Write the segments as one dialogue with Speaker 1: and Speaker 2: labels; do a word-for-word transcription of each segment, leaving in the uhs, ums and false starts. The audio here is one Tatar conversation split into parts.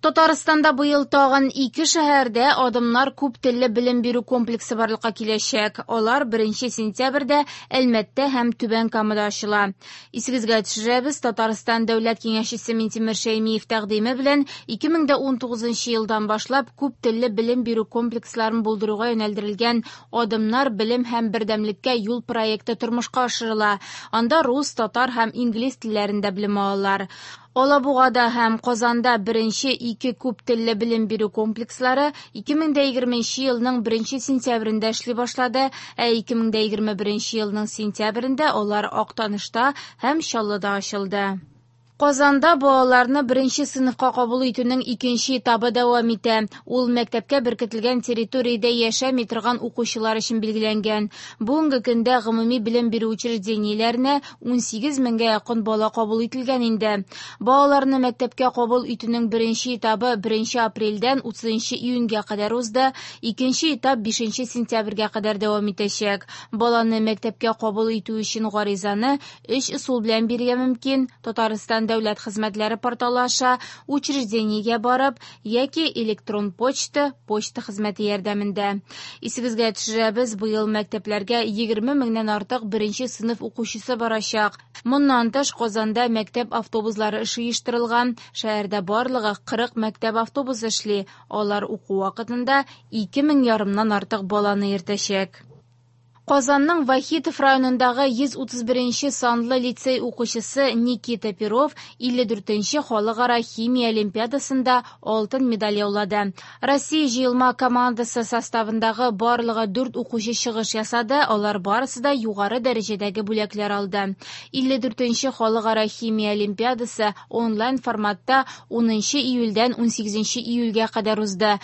Speaker 1: Татарстанда быел тагын ике шәһәрдә Адымнар күп телле белем бирү комплексы барлыкка киләчәк. Алар беренче сентябрьдә Әлмәттә һәм Түбән Камада ачыла. Исегезгә төшерәбез, Татарстан Дәүләт Киңәшчесе Минтимер Шәймиев тәкъдиме белән ике мең дә унтугызынчы елдан башлап күп телле белем бирү комплексларын булдыруга юнәлдерелгән Адымнар белем һәм бердәмлеккә юл проекты тормышка ашырыла. Анда рус, татар һәм инглиз телләрендә белем алалар. Алабугада һәм Казанда беренче ике күп телле белем бирү комплекслары ике мең дә егерменче елның беренче сентябрендә эшли башлады, ә ике мең дә егерме беренче елның сентябрендә алар Актанышта һәм Чаллыда ачылды. Казанда балаларны беренче сыйныфка кабул итүнең икенче этабы дәвам итә. Ул мәктәпкә беркетелгән территориядә яшәми торган укучылар өчен билгеләнгән. Бүгенге көндә гомуми белем бирү учреждениеләренә унсигез меңгә якын бала кабул ителгән инде. Балаларны мәктәпкә кабул итүнең беренче этабы беренче апрельдән утызынчы июньгә кадәр узды, икенче этап бишенче сентябрьгә кадәр дәвам итәчәк. Баланы мәктәпкә кабул итү өчен гаризаны өч ысул белән бирергә мөмкин. Татарстан Дәүләт хезмәтләре порталы аша, учреждениегә барып яки электрон почта, почта хезмәте ярдәмендә. Исегезгә төшерәбез, быел мәктәпләргә егерме меңнән артык беренче сыйныф укучысы барачак. Моннан тыш Казанда мәктәп автобуслары эше оештырылган. Шәһәрдә барлыгы кырык мәктәп автобусы эшли. Алар уку вакытында ике мең ярымнан артык баланы йөртәчәк. Казанның Вахитов районындагы йөз утыз беренче санлы лицей укучысы Никита Перов илле дүртенче халыкара химия олимпиадасында алтын медаль яулады. Россия җыелма командасы составындагы барлыгы дүрт укучы чыгыш ясады, алар барысы да югары дәрәҗәдәге бүләкләр алды. Илле дүртенче халыкара химия олимпиадасы онлайн форматта унынчы июльдән унсигезенче июльгә кадәр узды.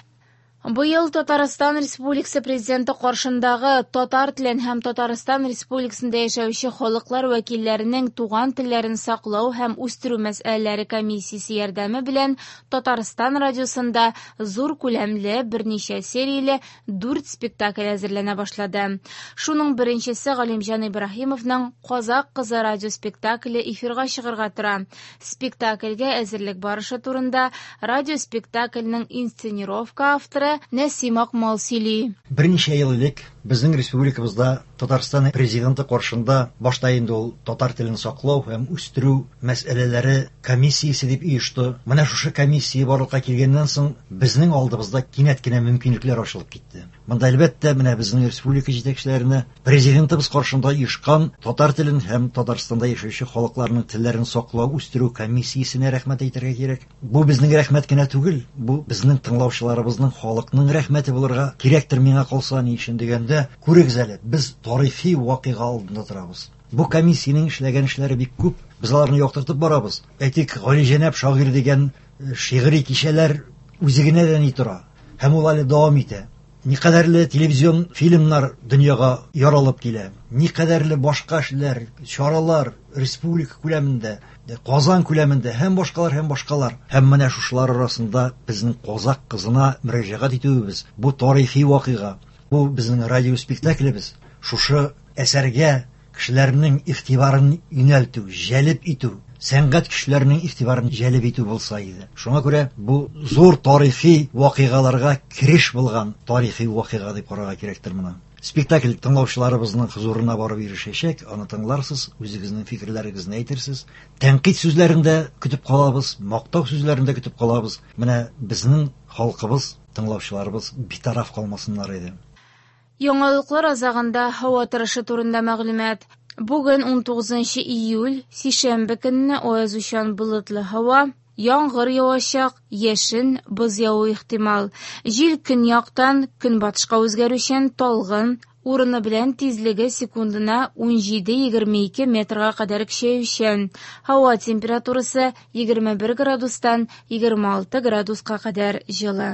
Speaker 1: Быел Татарстан Республикасы Президенты каршындагы татар телен һәм Татарстан Республикасында яшәүче халыклар вәкилләренең туган телләрен саклау һәм үстерү мәсьәләләре комиссиясе ярдәме белән Татарстан радиосында зур күләмле берничә серияле дүрт спектакль әзерләнә башлады. Шуның беренчесе Галимҗан Ибраһимовның Казак кызы радио спектакле эфирга чыгарга тора. Спектакльгә әзерлек барышы турында радио спектакльнең инсценировка авторы Нәсим Акмал сөйли.
Speaker 2: Берничә ел элек безнең республикабызда Татарстан президенты каршында башта инде ул татар телен саклау һәм үстерү мәсьәләләре комиссиясе дип оешты. Менә шушы комиссия барлыкка килгәннән соң безнең алдыбызда кинәт кенә мөмкинлекләр ачылып китте. Монда әлбәттә менә безнең республика җитәкчеләренә президентыбыз каршында оешкан татар телен һәм Татарстанда яшәүче халыкларның телләрен саклау, үстерү комиссиясенә рәхмәт әйтергә кирәк. Бу безнең рәхмәт кенә түгел, бу безнең тыңлаучыларыбызның, халыкның рәхмәте булырга кирәктер миңа калса, ни өчен дигәндә, күрегез әле, без тарихи вакыйга алдында торабыз. Бу комиссиянең эшләгән эшләре бик күп, без аларны яктыртып барабыз. Әйтик, Галиҗәнәп шагыйрь дигән шигъри кичәләр үзе генә дә ни тора, һәм ул әле дәвам итә. Никадәрле телевизион фильмнар дөньяга яралып килә, никадәрле башка эшләр, чаралар республика күләмендә, Казан күләмендә һәм башкалар һәм башкалар. Һәм менә шушылар арасында безнең казак кызына мөрәҗәгать итүебез, бу тарихи вакыйга, бу безнең радио спектаклебез. Шушы әсәргә кешеләрнең игътибарын юнәлтү, җәлеп итү, сәнгать кешеләренең игътибарын җәлеп итү булса иде. Шуңа күрә бу зур тарихи вакыйгаларга кереш булган тарихи вакыйга дип карарга кирәктер моны. Спектакль тыңлаучыларыбызның хозурына барып ирешәчәк, аны тыңларсыз, үзегезнең фикерләрегезне әйтерсез. Тәнкыйть сүзләрен дә көтеп калабыз, мактау сүзләрен дә көтеп калабыз. Менә безнең халкыбыз, тыңлаучыларыбыз битараф калмасыннар иде.
Speaker 1: Яңалыклар азагында һава торышы турында мәгълүмат. Бүген унтугызынчы июль, сишәмбе көнне аязучан болытлы һава, яңгыр явачак, яшен, боз яву ихтимал. Җил көньяктан көнбатышка үзгәрүчән талгын, урыны белән тизлеге секундына унҗиде-егерме ике метрга кадәр көчәючән. Һава температурасы егерме бер градустан егерме алты градуска кадәр җылы.